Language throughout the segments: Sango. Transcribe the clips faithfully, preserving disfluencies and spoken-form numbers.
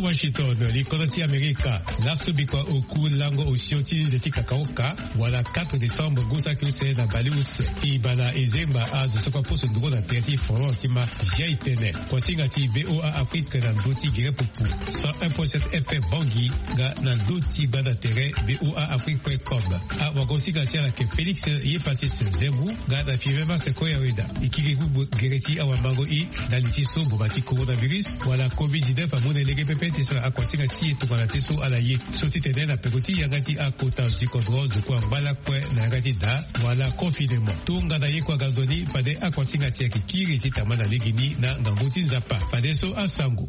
Washington, likonda ti Amerika. Laso bikua oku lango osio ti nze ti kakaoka, wala quatre décembre ngu saki use na baleuse. Ibana ezengba azo so kue aposo nduru na tere ti front ti ma. Zia itene kuasinga ti VOA Afrique na ndö ti gere pupu cent un point sept F M Bangui, nga na ndö ti gbanda tere VOA Afrique point com. Awagosinga ti ala yeke Félix Yepasis Zembu, nga na Five Mars Koyaweda. E kiri gbugbu gere ti awamango i na li ti so mboma ti coronavirus wala covid dix-neuf amu na e lege pepe ti sara akuasinga ti e tongana ti so ala ye. So ti tene na peko ti yanga ti akota zo ti kodro, ndoku angba lakue na yanga ti da wala confinement. Tongana ye kue aga nzoni, fade akuasinga ti e ayeke kiri ti tama na legeni na ngangu ti Nzapa. Fadeso asango.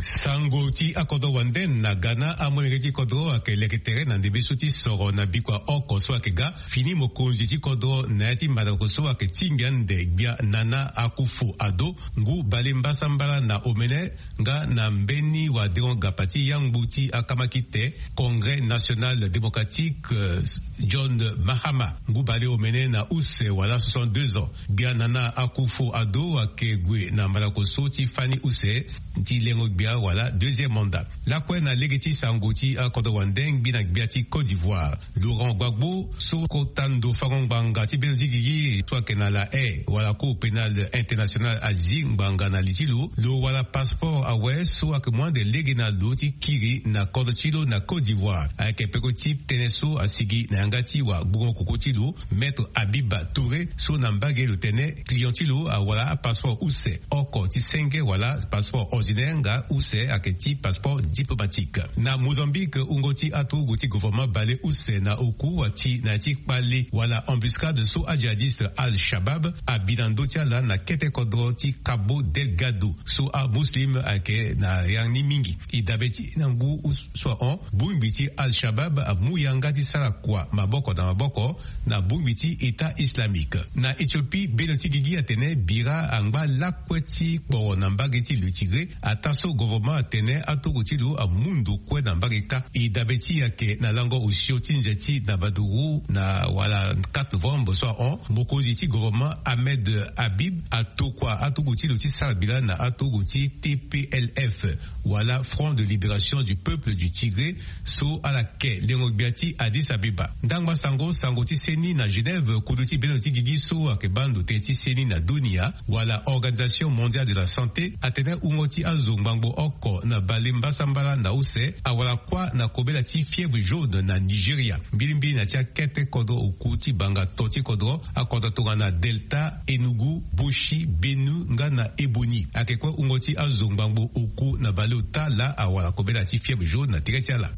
Sango ti akodro wande na Ghana, amolenge ti kodro ayeke leke tere na ndembe so ti soro na bikua oko so ayeke ga. Fini mokonzi ti kodro na ya ti mandako so ayeke tingbi ande Gbia Nana Akufo-Addo, ngu bale mbasambala na omene, nga na mbeni wadengo-gapa ti yangbu ti akamakite, Congrès National Démocratique, euh, John Mahama, ngu bale omene na use wala soixante-deux ans. Gbia Nana Akufo-Addo ayeke gue na mandako so ti fani use ti lengo gbia wala deuxième mandat. Lakue na lege ti sango ti akodro wande, ngbi na gbia ti Côte d'Ivoire, Laurent Gbagbo, so kota ndo fango ngbanga ti bendo ti gigi so ayeke na La Haye wala Cour pénale internationale azi ngbanga na li ti lo, lo wara passeport awe so ayeke mu ande lege na lo ti kiri na kodro ti lo na Côte d'Ivoire. Ayeke peko ti tënë so asigi na yanga ti wagbongo koko ti lo, Maître Habiba Touré, so na mbage lo tene client ti lo awara apasseport use oko ti senge wala passeport ordinaire, nga use ayeke ti passeport diplomatique. Na Mozambique, wungo ti aturugu ti gouvernement bale use na oku ati na ya ti kpale wala embuscade so ajihadiste Al-Shabaab abi na ndö ti ala na kete kodro ti Cabo Delgado, so amuslim ayeke na ya ni mingi. E dabe ti na ngu so ahon, bongbi ti Al-Shabaab amu yanga ti sara kua maboko na maboko na bongbi ti État Islamique. Na Éthiopie, bendo ti gigi atene bira angba lakue ti kporo na mbage ti lo Tigré, ataa so gouvernement atene aturugu ti lo amu ndo kue na mbage kâ. E dabe ti e ayeke na lango osio ti nze ti na baduru na wala quatre novembre so ahon, mokonzi ti gouvernement Ahmed Habib atokua aturugu ti lo ti sara bila na aturugu ti T P L F, wala Front de Libération du Peuple du Tigré, so ala ke lengo gbia ti Addis Abeba. Ndangba sango, sango ti seni na Genève, kudu ti bendo ti gigi so ayeke baa ndo tënë ti seni na dunia, wala Organisation Mondiale de la Santé, atene wungo ti azo ngbangbo oko na bale mbasambala na use awara kuâ na kobela ti fièvre jaune na Nigeria. Mbilimbili na ya ti akete kodro oku ti banga to ti kodro, akodro tongana Delta, Enugu, Boshi, Benue nga na Ebonyi. Ayeke kue wungo ti azo ngbangbo oku na baleota laa awara kobela ti fièvre jaune na tere ti ala.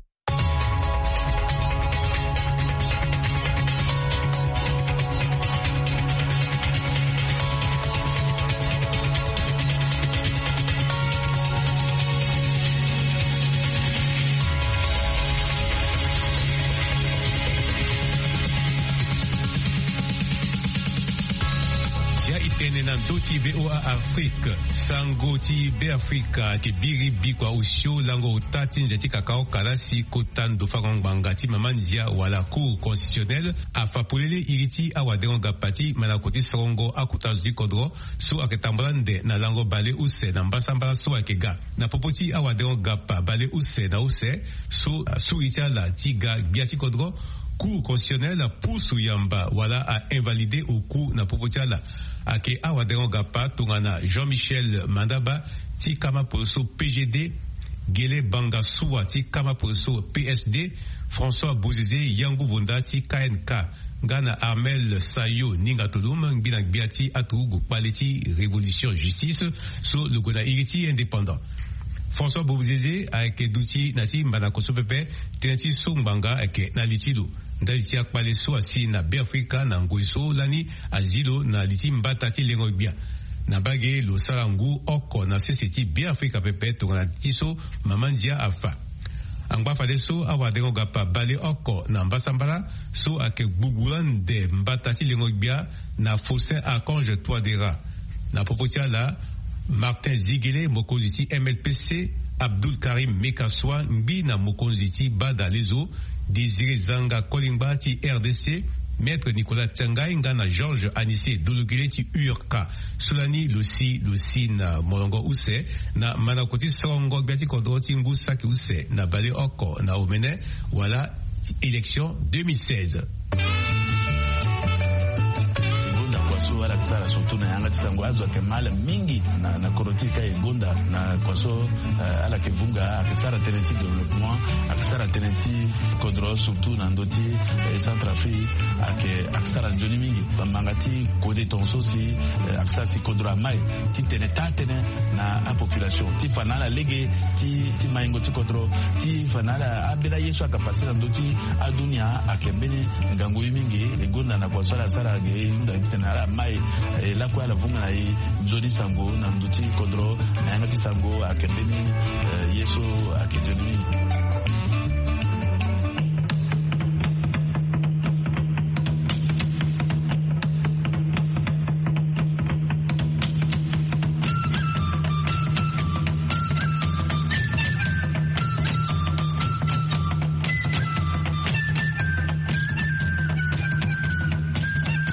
Zia itene na ndö ti VOA Afrique. Sango ti Beafrika ayeke biri bikua osio lango ota ti nze ti kakaoka la si kota ndo fango ngbanga ti mama ndia wala Cour constitutionnelle afa polele iri ti awadengo gapa ti mandako ti sorongo akota zo ti kodro so ayeke tambula nde na lango bale use na mbasambala so ayeke ga. Na popo ti awadengo gapa bale use na use so asuri ti ala ti ga gbia ti kodro, Cour constitutionnelle apusu yamba wala a-invalide oku na popo ti ala. Ayeke awadengo gapa tongana Jean-Michel Mandaba ti kama poroso P G D, Gele Banga Suwa ti kama poroso P S D, François Bozizé Yangu Vonda ti K N K, nga na Armel Sayo Ninga Tolom, ngbina gbia ti aturugu kpale ti Révolution Justice, so lo gue na iri ti Indépendant. François Bozizé ayeke duti na ti mbandako so pepe, tënë ti so ngbanga ayeke na li ti lo. Ndali ti akpale so asi na Beafrika na ngoi so lani azi lo na li ti mbata ti lengo gbia. Na mbage lo sara ngu oko na sese ti Beafrika pepe tongana ti so mama ndia afa. Angba fadeso awadengo gapa bale oko na mbasambala so ayeke gbugula nde mbata ti lengo gbia na Faustin Archange Touadéra. Na popo ti ala, Martin Ziguélé, mokonzi ti M L P C, Abdoul Karim Mékassoua, ngbi na mokonzi ti bada lezo, Désiré Zanga Kolingba ti R D C, Maître Nicolas Tiangai nga na Georges Anissé Dologele ti U R K. So lani lo si lo si na molongo use na mandako ti sorongo gbia ti kodro ti ngu saki use na baleoko na omene wala ti élection deux mille seize. Gonda kua so ala yeke sara surtout na yanga ti sango azo ayeke mal mingi na kodro ti e ka e gonda na kua so. Ala yeke vunga ayeke sara tënë ti développement, ayeke sara tënë ti kodro surtout na ndö ti Centrafrique. Ayeke sara nzoni mingi bambanga ti kode tongaso si ayeke sara si kodro amai ti tene taa tënë na apopulation ti fa na ala lege ti maingo ti kodro ti fa na ala ambeni aye so ayeke pase na ndö ti adunia. Ayeke mbeni ngangu ye mingi e gonda na kua so ala sara ge e hunda titene ala mai e lakue ala vunga na e nzoni sango na ndö ti kodro na yanga ti sango ayeke mbeni ye so ayeke nzoni mingi.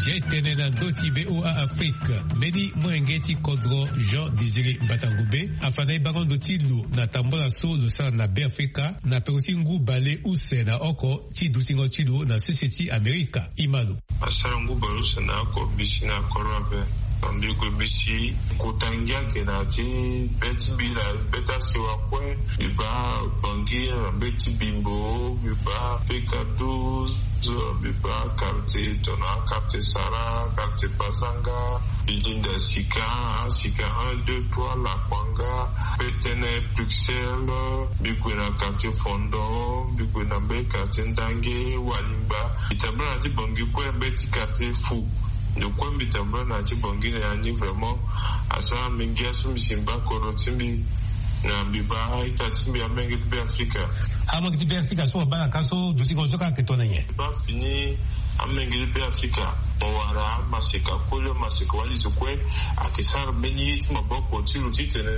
Ye tene na ndö ti V O A Afrique mbeni molenge ti kodro Jean Désiré Mbatangube afa na e bango ndo ti lo na tambola so lo sara na Beafrika na peko ti ngu bale use na oko ti dutingo ti lo na sese ti Amerika. Ima lo. Asara ngu bale use na oko bisi na koro ape. Mbi gue bisi kota ngia ke na ti be ti mbi na be ti asewa kue. Mbi baa Bangui na be ti Bimbo, mbi baa P K douze, mbi baa quartier tongana quartier Sara, quartier Bazanga. Mbi linda sika, asika un, deux, trois, Lakuanga, Petene, Bruxelles. Mbi gue na quartier Fondon, mbi gue na mbeni quartier Ndange, Walimba. Mbi tambula na ti Bangui kue mbeni ti quartier Fou. Ndo kue mbi tambula na ti Bangui na ya ni vraiment asara mbi ngia so mbi si mba kodro ti mbi. Na mbi baa a-ita ti mbi amenge ti Beafrika. Amenge ti Beafrika so mo baa na ka so dutingo so kâ ayeke tongana nyen? Mbi baa fini amenge ti Beafrika. Mo wara amaseka koli, amaseka wali zo kue ayeke sara mbeni ye ti maboko ti lo titene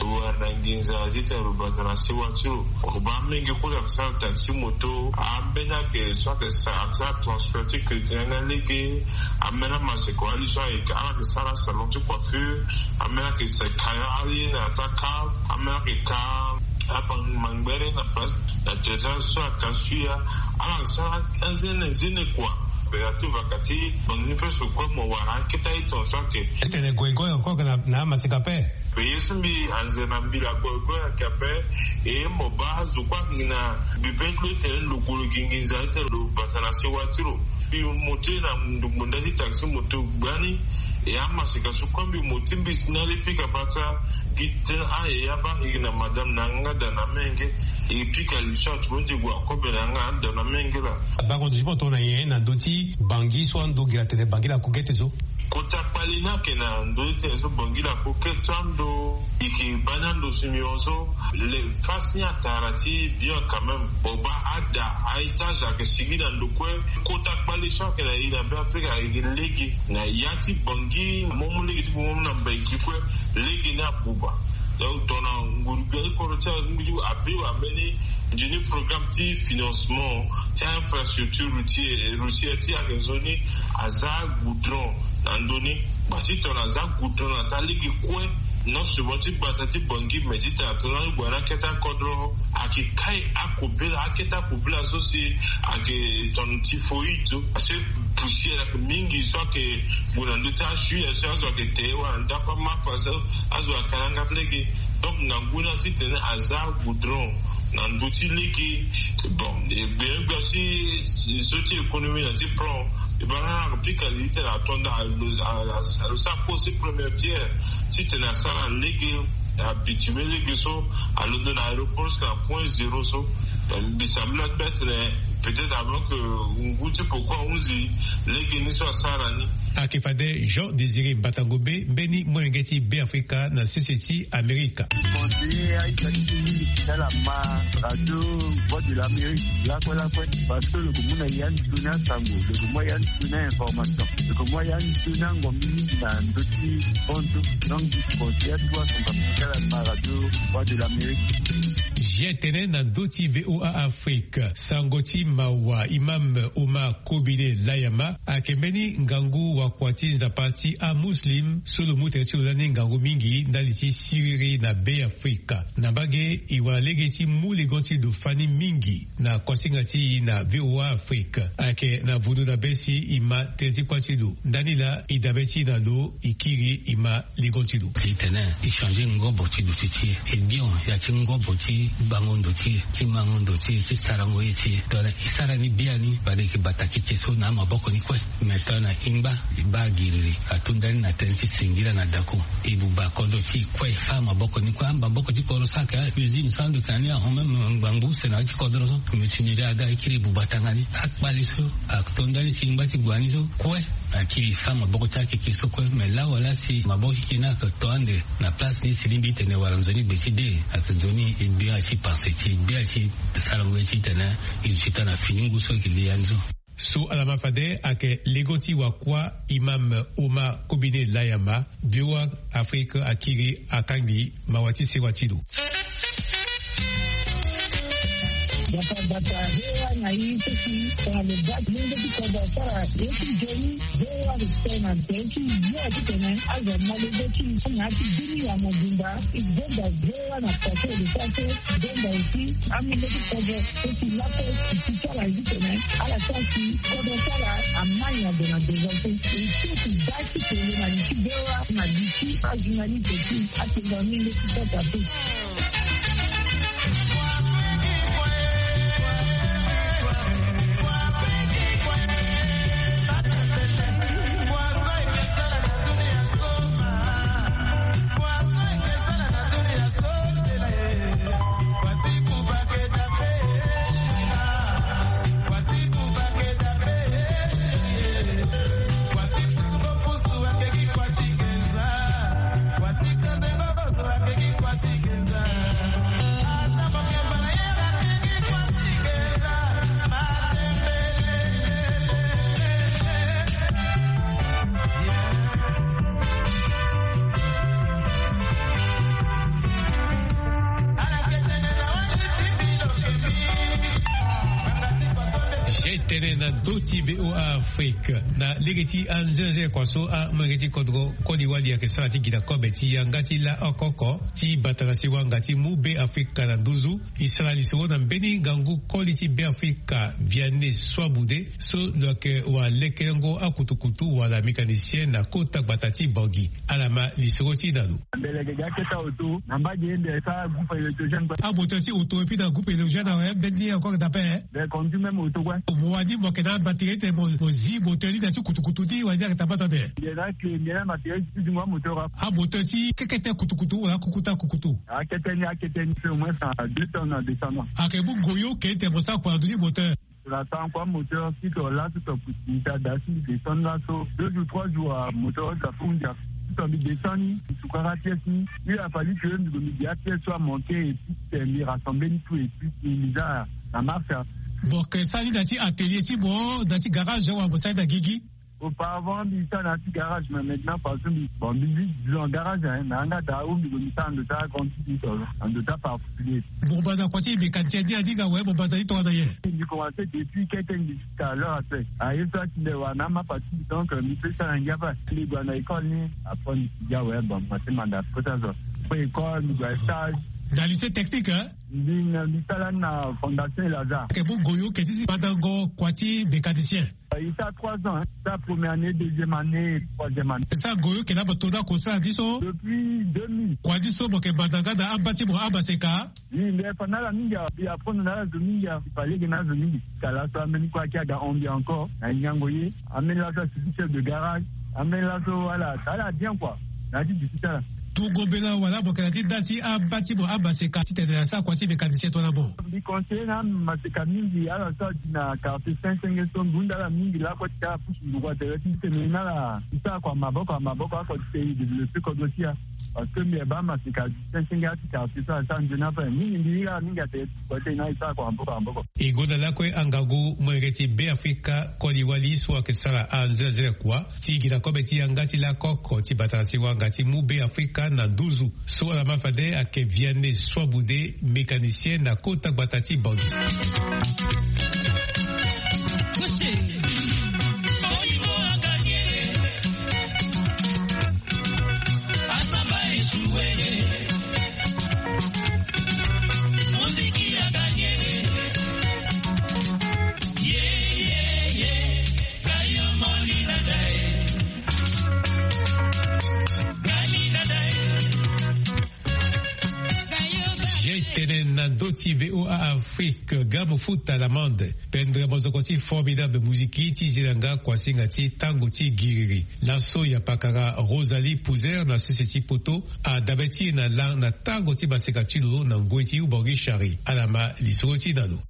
lo wara na nginza titene lo bata na sewa ti lo. Mo baa amenge koli ayeke sara taxi moto, ambeni ayeke so ayeke sara, ayeke sara transfert ti crédit na lege. Ambeni amaseka wali so ayeke ala yeke sara salon ti coiffure. Ambeni ayeke sara ka ali na ya ti akave. Ambeni ayeke ka amangbere na place na tere ti ala so aka suya. Ala yeke sara anzene nzene kua. Bera ti vaka ti bangi ni presque kue mo wara akete aye tongaso ayeke. Tene goigoi encore na amaseka ape. Mbi ye so mbi anze na mbila goigoi ayeke ape. E mo baa azo kue ayeke gi na mbi be ti lo titene lo gue lo gi nginza titene lo bata na sewa ti lo. Mbi mo ti na ngbonda ti taxi moto gbani. E amaseka so kue mbi mo ti mbi si na le pika fata gi tene a e abaa e gi na madame na yanga da na menge. E pika li so atumu ti gue akobe na yanga da na menge laa. Bango ndo ti mo tongana nyen na ndö ti Bangui so ando gi na tene Bangui na kogete so? Kota kpale ni ayeke na ndö ti tene so Bangui na kogete so ando. E yeke baa ni ando si mbi hon so le face ni atara ti bien quand même. Mo baa ada a-étage ayeke sigi na ndo kue. Kota kpale so ayeke na e na Beafrika ayeke lege na ya ti Bangui mo mu lege ti bongo mu na mbeki kue. Lege ni abuba. Donc tongana nguru gbia ti kodro ti azo ti mbi ti ape wambeni nzoni programme ti financement ti infrastructure routière, routière ti ayeke nzoni aza goudron na ndö ni. Gba ti tongana aza goudron na taa lege kue. Non seulement ti gbata ti Bangui mais ti tena tongana ague na akete akodro ayeke kai akobela akete akobela so si ayeke tongana typhoïde so. Parce que poussière ayeke mingi so ayeke gue na ndö ti asui so azo ayeke te wala ndako amapa so azo ayeke na yanga ti lege. Donc ngangu ni atitene aza goudron na ndö ti lege. Bon e gbia gbia si so ti économie na ti plan e baa na ayeke pika li ti tene ato nda alo sara pose première pierre titene asara lege. Abitime lege so alondo na aéroport jusqu'à point zéro so. Mbi sambela ti baa tene peut-être avant que ngu ti poko ahunzi lege ni so asara ni. Ayeke fade Jean Désiré Mbatangube mbeni molenge ti Beafrika na sese ti Amerika. Conseiller a-ita ti mbi ti ala ma radio Voix de l'Amérique lakue lakue. Parce que lo yeke mu na ya ni toni asango, lo yeke mu ya ni toni a-information, lo yeke mu ya ni toni angombi mingi na ndö ti hon so. Donc mbi conseiller atu asomba mbi ti ala ma radio Voix de l'Amérique. Ye tene na ndö ti VOA Afrique, sango ti mawa Imam Omar Kobine Layama ayeke mbeni ngangu wakua ti Nzapa ti aMuslim so lo mu tënë ti lo lani ngangu mingi ndali ti siriri na Be Afrika. Na mbage, e wara lege ti mu legon ti lo fani mingi na kuasinga ti e na VOA Afrique. Ayeke na vundu na be si e ma tënë ti kuâ ti lo. Ndani laa e dabe ti e na lo, e kiri e ma legon ti lo. Titene e changer ngobo ti duti ti e, e bion ya ti ngobo ti bango ndo ti e, ti mango ndo ti e, ti sarango ye ti e. Tongana e sara ni biani, fade e yeke bata keke so na amaboko ni kue. Me tongana e ngba, e baa giriri, ato ndani na tënë ti singila na dako. E buba kodro ti e kue, e fâ maboko ni kue. Amaboko ti kodro so ayeke a-usine so ando yeke na ni ahon même ngbangbu use na ya ti kodro so. Mutinerie aga, e kiri e buba tanga ni. Akpale so ato ndani ti ngba ti gua ni so kue, akiri e fâ maboko ti akeke so kue. Me lawala si maboko ti keke ni ayeke to ande na place ni si lingbi ti tene wala nzoni gbe ti de, ayeke nzoni e gbia ti panse ti e, gbia ti sarango ye ti tene e duti taa na fini ngu so e yeke li ya ni so. So ala ma fade ayeke legon ti wakua Imam Omar Kobine Layama. VOA Afrique akiri akangbi mawa ti sewa ti lo. Bata bata, VOA na i seki tongana lo baa ti lenge ti kodro asara ye ti nzoni, VOA respect na nzoni ti yo titene azo ma lenge ti i na ya ti bini ya mobimba. E gonda VOA na pase de pase, gonda aussi amolenge ti kodro so ti laso e ti sara ye titene ala sara si kodro ti ala amai na ndo na devance. E so ti baa ti tene na li ti VOA na li ti ajournaliste ti atenda mingi ti kota so. Ye tene na ndö ti VOA Afrique na lege ti anzenze kua so amolenge ti kodro koli wali ayeke sara ti gi na kobe ti yanga ti la oko oko ti bata na siwanga ti mu Be Afrika na nduzu. E sara lisoro na mbeni ngangu koli ti Be Afrika, Vianney Soiboude, so lo yeke walekelengo akutukutu wala mécanicien na kota gbata ti Bangui. Ala ma lisoro ti e na lo. Mbele ge ga keta oto na mbage ende sa groupe électrogène. Amoteur ti oto et puis na groupe électrogène awe mbeni encore dape. Be conduit même oto kue. Mo wani mo yeke na batterie ti tene mo zi moteur ni na ya ti kutukutu ni wala ni ayeke tambata ape. Nde na clé nde na batterie ti zingo amoteur. Amoteur ti kekete kutukutu wala akukutu akukutu. Akete ni, akete ni fait au moins deux tonnes na deux cents ans. Ayeke mu ngoyo ke ti tene mo sara kua na ndö ti moteur. Tongana tango kua moteur si to laso to kuti ni ta da si mbi descend laso deux jours trois jours, ah, moteur so afu ndia. Si to mbi descend ni, mbi sukara apièce ni. Il a fallu que mbi gue mbi gi apièce so amanke et puis ti tene mbi rassemble ni tout et puis ti mbi za na marche. Mo yeke sara ni na ya ti atelier ti mo, na ya ti garage wala mo sara ni na gigi? Auparavant mbi sara na ya ti garage, mais maintenant façon mbi, bon, mbi zi zo na garage, hein, na yanga daa ou mbi gue mbi sara na ndo ti agrande ti mbi to na ndo ti aparticulier. Mo banda kua ti mécanicien ni aninga awe, mo banda ni tongana nyen? Mbi commencé depuis kete mbi jusqu'à l'heure actuelle. Ah, ye so atinde wara na amapa ti mbi, donc, euh, mbi peut sara na ngia ape. Mbi gue na école ni, après mbi ti gi awe, bon, mbi commencé manda kota zo. Après école mbi gue na stage. Na lycée technique, hein? Mbi na, mbi sara na Fondation Lazare. Ayeke mu ngoyo ke ti si bandango kua ti mécanicien? E sara trois ans, hein. E sara première année, deuxième année, troisième année. E sara ngoyo ke na mo to ni ako sara ni so? Depuis deux mille. Kua ni so mo yeke manda nga na amba ti mo amaseka? Oui, mbi fa na ala mingi, mbi apprendre na ala zo mingi, mbi fa lege na azo mingi. Ka laso ambeni kue ayeke aga hon mbi encore na nyango ye. Ambeni laso asi ti chef de garage. Ambeni laso ala, ala bien quoi. Na ya ti duti ti ala. Tungo mbela wala mo yeke na ti nda ti amba ti mo amaseka ti tene asara kua ti mécanicien tongana mo? Mbi conseiller na amaseka mingi, ala so adi na quartier Saint Senge so, mbi hunda ala mingi lakue ti ala pusu nduku atere ti tene na ala ti sara kua maboko, maboko oko ti tene e développer kodro ti ala. Parce que mbi yeba masika senge ati quartier so asara nzoni ape mingi, mbi hiri ala mingi ate. Kue tena e sara kua maboko maboko. E gonda lakue angangu molenge ti Beafrika koli wali so ayeke sara anzenazena kua ti gi na kobe ti yanga ti lakoko ti bata na singwanga ti mu Beafrika na nduzu. So ala ma fade ayeke Vianney Soiboudé, mécanicien na kota gbata ti Bangui. Ye tene na ndö ti V O A Afrique, ga mo futa l'amende. Pendere mozoko ti Formidable Musique ti zi na nga kuasinga ti tango ti giriri. Laso ya pakara Rosalie Pouzer na sese ti poto adabe ti e na la na tango ti maseka ti lo na ngoi ti Ubangi Chari. Ala ma lisoro ti e na lo.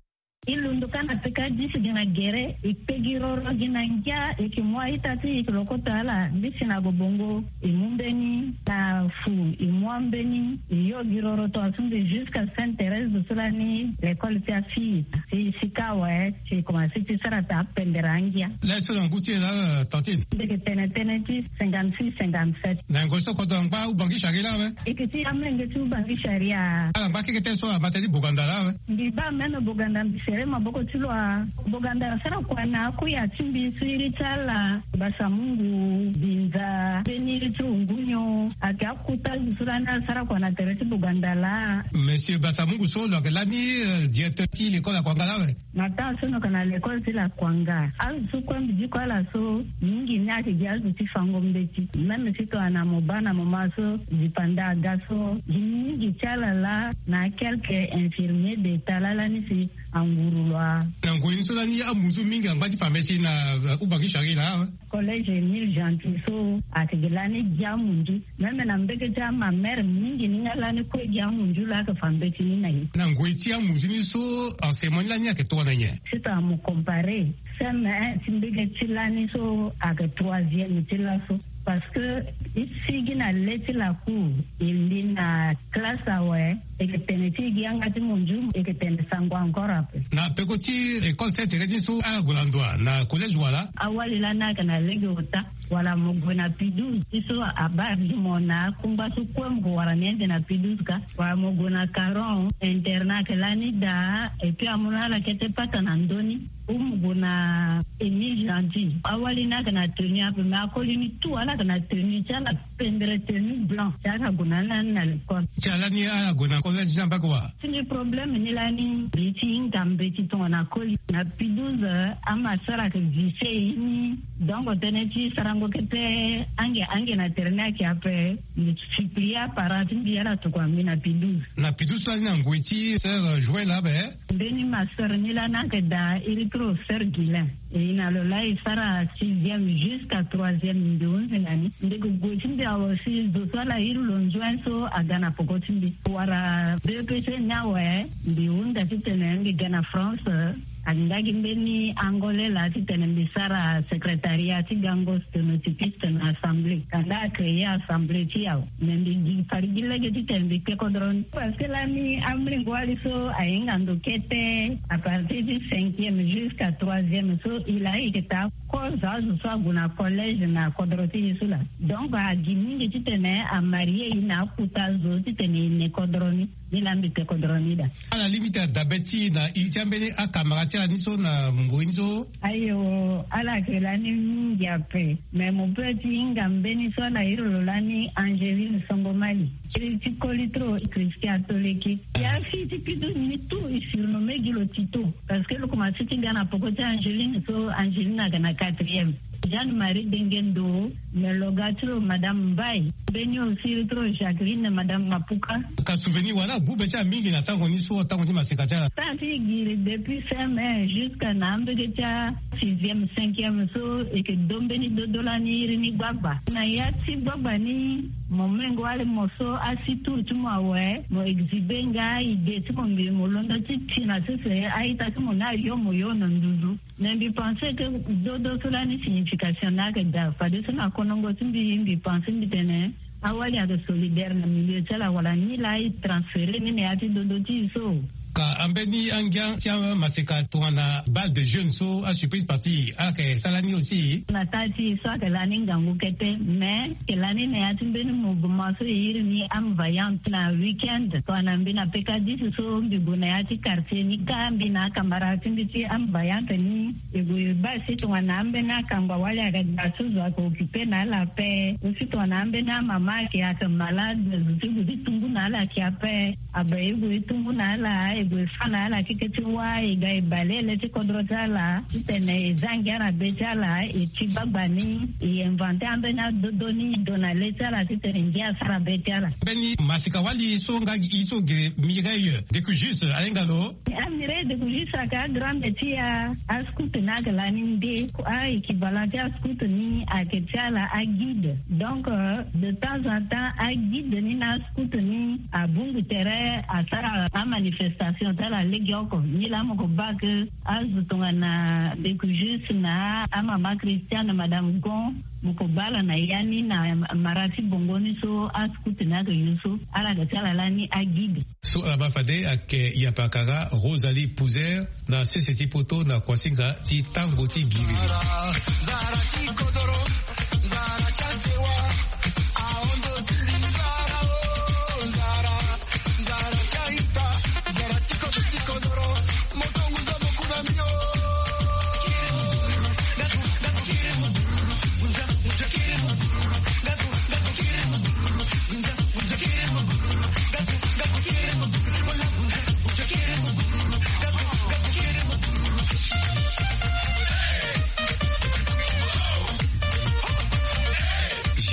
E londo ka na peka disi gi na gere, e kpe gi roro gi na ngia, e yeke mu a-ita ti e, e yeke lo kota ala disi na gobongo, e mu mbeni na fu, e mu ambeni, e yo gi roro tongaso mbi jusqu'à Sainte Thérèse so lani l'école ti afille. Si sika awe si e komanse ti sara taa pendere angia. Laso na ngu ti e laa, tantine? Mbi yeke tene tënë ti cinquante-six, cinquante-sept. Na ngoi so kodro angba Ubangi Chari laa awe? E yeke ti amolenge ti Ubangi Chari. Ala ngba keke tënë so abata ti Boganda laa awe? Mbi baa même Boganda, mbi sere maboko ti lo. A, Boganda asara kua na akui ya ti mbi so iri ti ala Basamungu Binza, mbeni iri ti Rungunyo, ayeke akuta azo so lani asara kua na tere ti Boganda laa. Monsieur Basamungu so lo yeke lani, euh, directeur ti l'école Lakuanga laa awe? Na temps so lo yeke na l'école ti Lakuanga, azo so kue mbi diko ala so mingi ni ayeke gi azo ti fango mbeti. Même si tongana mo baa na moment so dipanda aga so, gi mingi ti ala laa na quelques infirmiers d'état laa lani si anguru lo. A, na ngoi ni so lani amunzu mingi angba ti fa mbeti na, euh, Ubangi Chari laa awe? Collège Émile Gentil so ayeke gi lani gi amunzu. Même na mbege ti amamere mingi ni nga lani kue gi amunzu laa ayeke fa mbeti ni na ye. Na ngoi ti amunzu ni so, enseignement ni lani ayeke tongana nyen? Si tongana mo comparer C M un ti mbege ti lani so ayeke troisième ti laso. Parce que e sigi na le ti lacour, e li na classe awe, e yeke tene ti e gi yanga ti munzu, e yeke tene sango encore ape. Na peko ti école Sainte Thérèse ni so ala gue na ndo wa na collège wala? Awali lani ayeke na lege ota. Wala mo gue na P douze, ti so abaa gi mo na akungba so kue mo gue wara ni ande na P douze ka. Wala mo gue na Caron, internat ayeke lani daa, et puis amu na ala kete pata na ndö ni. Ou mo gue na Émile Gentil. Awali ni ayeke na tenue ape, mais akoli ni tout ala yeke na tenue ti ala, pendere tenue blanc. Ti ala gue na ni lani na l'école. Ti ala ni ala gue na collège ni ambage wa? Ti mbi problème ni lani, mbi ti hinga mbeti tongana koli. Na P douze, ama sara ayeke vise e ni. Donc tënë ti sarango kete ange ange na tere ni ayeke ape. Mbi supplie aparent ti mbi ala tokua mbi na P douze. Na P douze so lani na ngoi ti sœur Joël abe? Mbeni ma sœur ni lani ayeke daa iri ti lo sœur Guilain. E na lo laa e sara sixième jusqu'à troisième, mbi hunzi na ni. Ndege gue ti mbi awe si zo so ala iri lo nzuen so aga na peko ti mbi. Wala B E P C ni awe, mbi hunda titene mbi ga na France, ayeke nga gi mbeni Angolais laa titene mbi sara secrétariat ti gango sténotypiste na assemblée. Kanda a créer assemblée ti e awe. Mais mbi gi fade gi lege titene mbi kpe kodro ni. Parce que lani amolenge wali so ahinga ndo kete, à partir du cinquième jusqu'à troisième so, e laa e yeke taa kozo azo so ague na collège na kodro ti e so laa. Donc agi mingi titene amarie e na akuta azo titene e ne kodro ni. Ni laa mbi kpe kodro ni daa. Ala limite adabe ti e na iri ti ambeni akamara ti ala ni so na ngoi ni so? Ayo, ala yeke lani mingi ape. Mais mo peut ti hinga mbeni so ala iri lo lani Angeline Songomali. Iri ti koli trop Christian Atoleki. Ya fille ti P douze ni tout e surnommé gi lo Tito. Parce que lo komanse ti ga na peko ti Angeline so, Angeline aga na quatrième. Jeanne Marie Dengendo, me lo ga ti lo Madame Mbaye. Mbeni aussi iri ti lo Jacqueline, Madame Mapuka. Ka souvenir wala abu be ti ala mingi na tango ni so, tango ti maseka ti ala? Tango ti e giri depuis C M un jusqu'à na ambege ti asixième, cinquième so, e yeke do mbeni dodo lani iri ni gbagba. Na ya ti gbagba ni, mo mengo wali mo so asi tour ti mo awe, mo exhiber nga idée ti mo, mbi mo londo ti ti na sese a-ita ti mo ni ayo mo yo na nduzu. Mais mbi pense que dodo so lani signification ni ayeke daa. Fadeso na konongo ti mbi, mbi pense mbi tene Awali ayeke solidaire na milieu ti ala wala ni laa e transféré ni na ya ti dodo ti e so. Ka ambeni angia ti amaseka tongana bal de jeune so asurprise parti ala yeke sara ni aussi. Na taa ti e so ayeke lani ngangu kete mais ayeke lani na ya ti mbeni mouvement so e iri ni ame vaillante na week-end tongana mbi na pekadis so mbi gue na ya ti quartier ni ka mbi na akamara ti mbi ti ame vaillante ni. E gue baa si tongana ambeni akangba wali ayeke ga so zo ayeke occupé na ala ape. Aussi tongana ambeni amama ayeke ayeke malade zo ti gue ti tungu na ala ayeke ape. Abe e gue e tungu na ala e gue e fa na ala keke ti wâ e ga e baleele ti kodro ti ala titene e za ngia na be ti ala e ti gbagba ni. E inventer ambeni adodo ni e do na le ti ala titene ngia asara be ti ala. Mbeni masika wali so nga gi so ge Mireille Decujus ahinga lo. Amire de kuji saka agrande ti a ascout ni ayeke lani nde. A équivalent ti ascout ni ayeke ti ala aguide. Donc de temps en temps aguide ni na ascout ni abungu tere asara amanifestation ti ala legeoko ni laa mo ko baa ke azo tongana de kuji na amama christiane madame gon mo ko baa ala na ya ni na mara ti bongo ni so ascout ni ayeke yo so ala ga ti ala lani aguide. So ala ma fade ayeke yapakara Rosalie Pouzer na sese ti poto na kuasinga ti tango ti giriri.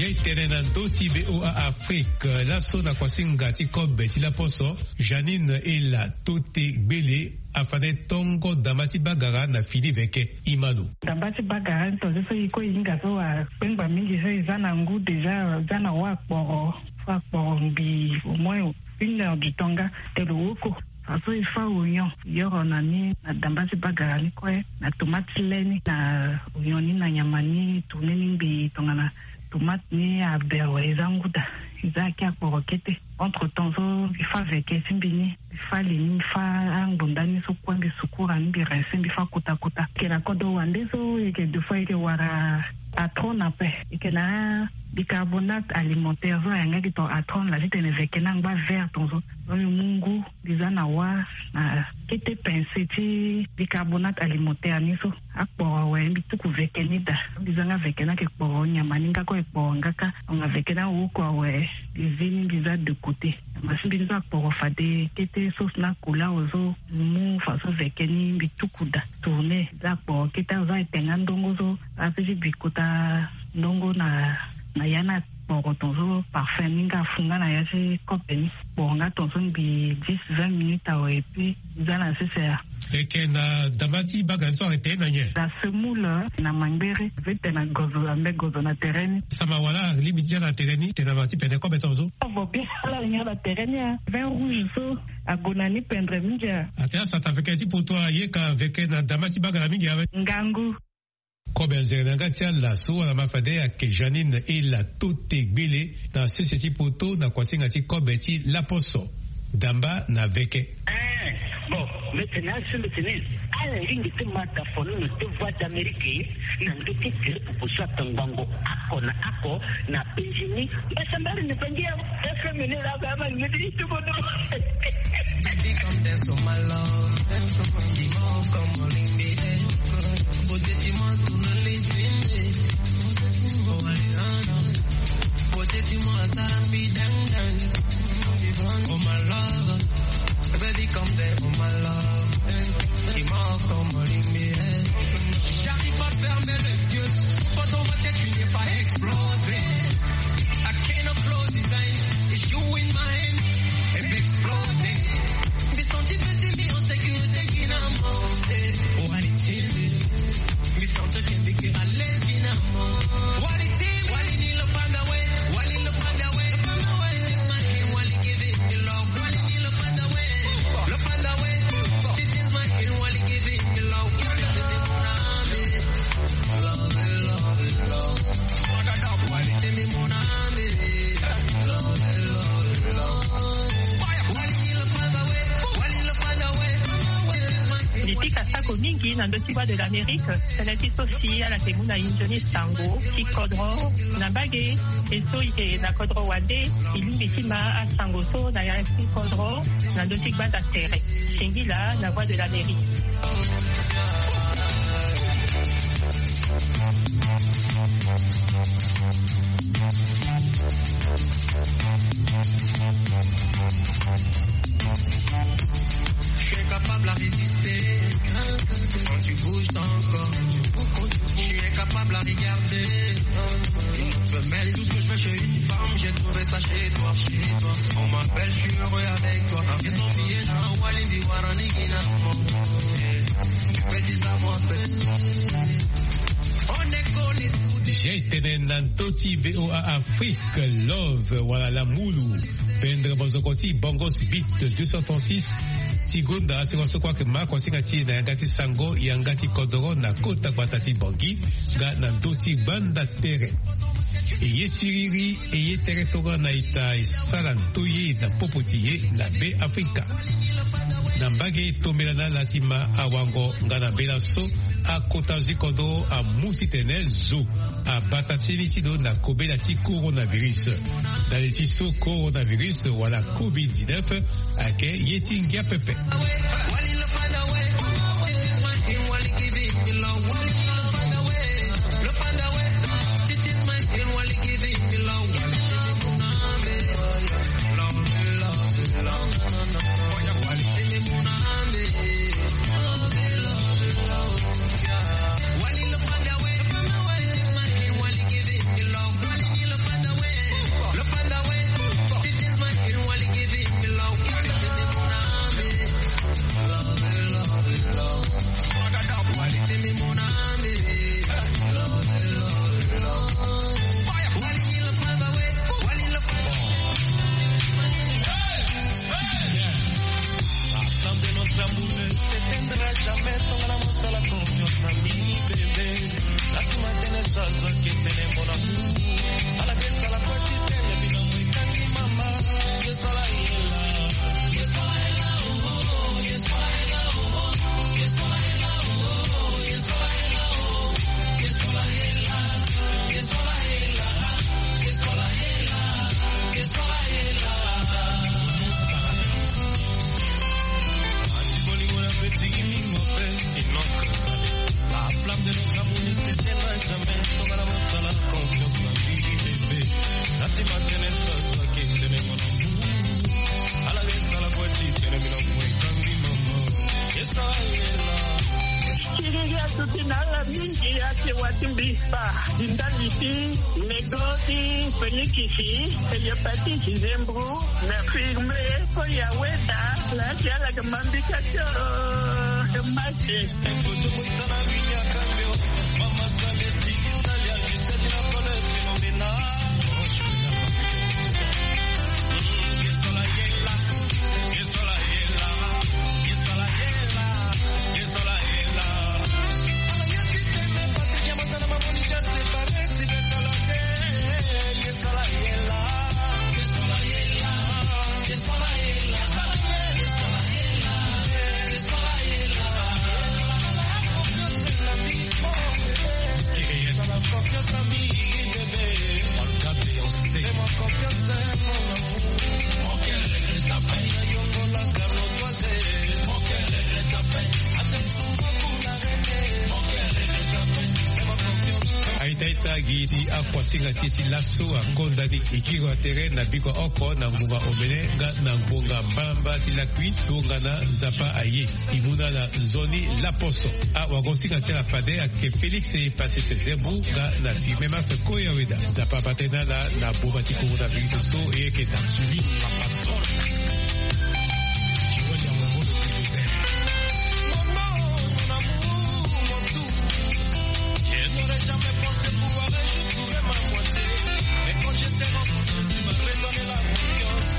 Jai tene na ndö ti VOA Afrique laso na kuasinga ti kobe ti laposo. Janine Ela Tote Gbele afane tongo damba ti bagara na fini veke. Imano damba ti bagara ni tonze so e kue e hinga so akpengba mingi so e za na ngu déjà za na wa akporo so akporo mbi au moins une heure du temps nga te lo woko. Fa so e fa oignon yoro na ni na damba ti bagara ni kue na tomate ti le ni na oignon ni na nyama ni tourne ni ngbii tongana tomate ni aber wala e za ngu daa. E za ake akporo kete. Entre temps so mbi fa veke ti mbi ni mbi fa li ni mbi fa angbonda ni so kue mbi sukura ni mbi rince mbi fa kota kota. Yeke na kodro wande so yeke deux fois yeke wara atron ape. Yeke na bicarbonate alimentaire so ayanga gi ton atron la titene veke ni angba vert ton so. Donc mbi mu ngu mbi za na wa na kete pince ti bicarbonate alimentaire ni so akporo awe mbi tuku veke ni daa. Mbi za nga veke ni ayeke kporo nyama ni nga kue e kporo nga kâ. Anga veke ni awoko awe mbi zi ni mbi za de côté. Nyama ti mbi ni so akporo fade kete sauce ni akola awe so mbi mu façon veke ni mbi tuku daa tourne za akporo kete awe so ayeke nga ndongo so ape ti bi kota ndongo na na ya ni akporo ton so parfum ni nga afu nga na ya ti kope ni. Kporo nga ton so mbi dix vingt minutes awe et puis za na sese ya. Eke na damba ti bagara ni so ayeke tene na nyen? Na semoule na mangbere ape tene na gozo ambe gozo na tere ni. Sama wala alingbi ti za na tere ni tene na ma ti pene kobe ton so. Avo bien ala ngia na tere ni a vin rouge so ague na ni pendre mingi a. Ate asata veke ti poto aye ka veke na damba ti bagara mingi awe. Ngangu. Kobe anzere na yanga ti ala so wala ma fade ayeke Janine Ela Tote Gbele na sese ti poto na kuasinga ti kobe ti laposo. Damba na veke. Bon, mbi tene asu mbi tene ala lingbi ti ma dafonono ti Voix d'Amérique na ndö ti gere popo so atongbango oko na oko na penzi ni. Basambari ni bangi ya F M ni la ba ma ni ti tuko do. Baby, come dance on my love. Come on, come on, ring me, eh. Beauté, dis-moi, tourne les yeux. Beauté, dis-moi, ça me dang dang. Oh, my love. Baby, come there, oh, my love. Dis-moi, come on, ring me, eh. J'arrive pas à fermer les yeux. Faut ton vote, tu n'es pas explosé. I cannot close his eyes. It's you in my hand. It's exploding. This one, this is me, on sécurité, you know. E pika sako mingi na ndö ti Voix de l'Amérique. Tënë ti so si ala yeke mu na e nzoni sango ti kodro na mbage. E so e yeke na kodro wande, e lingbi ti ma asango so na ya ti kodro na ndö ti gbanda tere. Singila na Voix de l'Amérique. Tu es capable à résister quand tu bouges ton corps. Tu es capable à regarder une autre femelle. Tout ce que je fais chez une femme, j'ai trouvé ça chez toi, chez toi. On m'appelle, je suis heureux avec toi. Ils ont oublié na Wali di Warani Gina. Petit amour, on est collés sous des J'ai tene na ndö ti V O A Afrique, Love wala Lamulu. Pendre mozoko ti Bongos Beat deux cent trente-six ti gonda si wasoko ayeke ma kosinga ti e na yanga ti sango, yanga ti kodoro na kota gbata ti Bangui nga na ndö ti gbanda tere. E ye siriri, e ye tere tongana ita e sara ndoye na popo ti e na Be Afrika. Na mbage tombela na ala ti ma awango nga na mbela so akota zi kodro amu titene zo abata ti ni ti lo na kobela ti coronavirus. Na li ti so coronavirus wala covid dix-neuf ayeke ye ti ngia pepe. La flamme de notre amour ne s'éteindra jamais. Tongana mosala confiance na mbi, bébé. Laisse-moi tenir ça, toi qui tenais mon amour. À la baisse, à la petite, tenez, bino, moi, Kangi, maman. Yes, voilà, yes, voilà. Siriri atuti na ala mingi ate wati mbi. Ba di ndali ti mego ti fenikisi, heliopatite, zembro, na firme, ko ya weda la ti ala ke mambika tio. Mate. Aita ita gi ti akuasinga ti e ti laso akonda ni. E kiri wa tere na biko oko na ngonga omene nga na ngonga mbamba ti lakui. Tongana Nzapa aye, e mu na ala nzoni laposo. Awagosinga ti ala fade ayeke Félix Passy Sezembu nga na firme Master Koya Weda. Nzapa abate na ala na boma ti coronavirus so e yeke daa. Je n'aurais jamais pensé pouvoir un jour trouver ma moitié. Mais quand je t'ai rencontré, tu m'as redonné la confiance.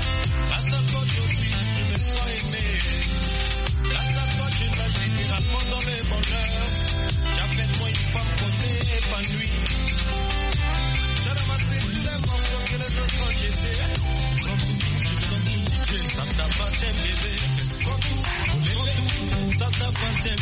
Grâce à toi, aujourd'hui, je me sens aimé. Grâce à toi, je navigue et raconte dans le bonheur. Tu as fait de moi une femme qu'on peut épanouir. Tu as ramassé tous les morceaux que les autres ont jetés. Prends tout, je prends tout, ça t'appartient, bébé. Prends tout, prends tout, ça t'appartient.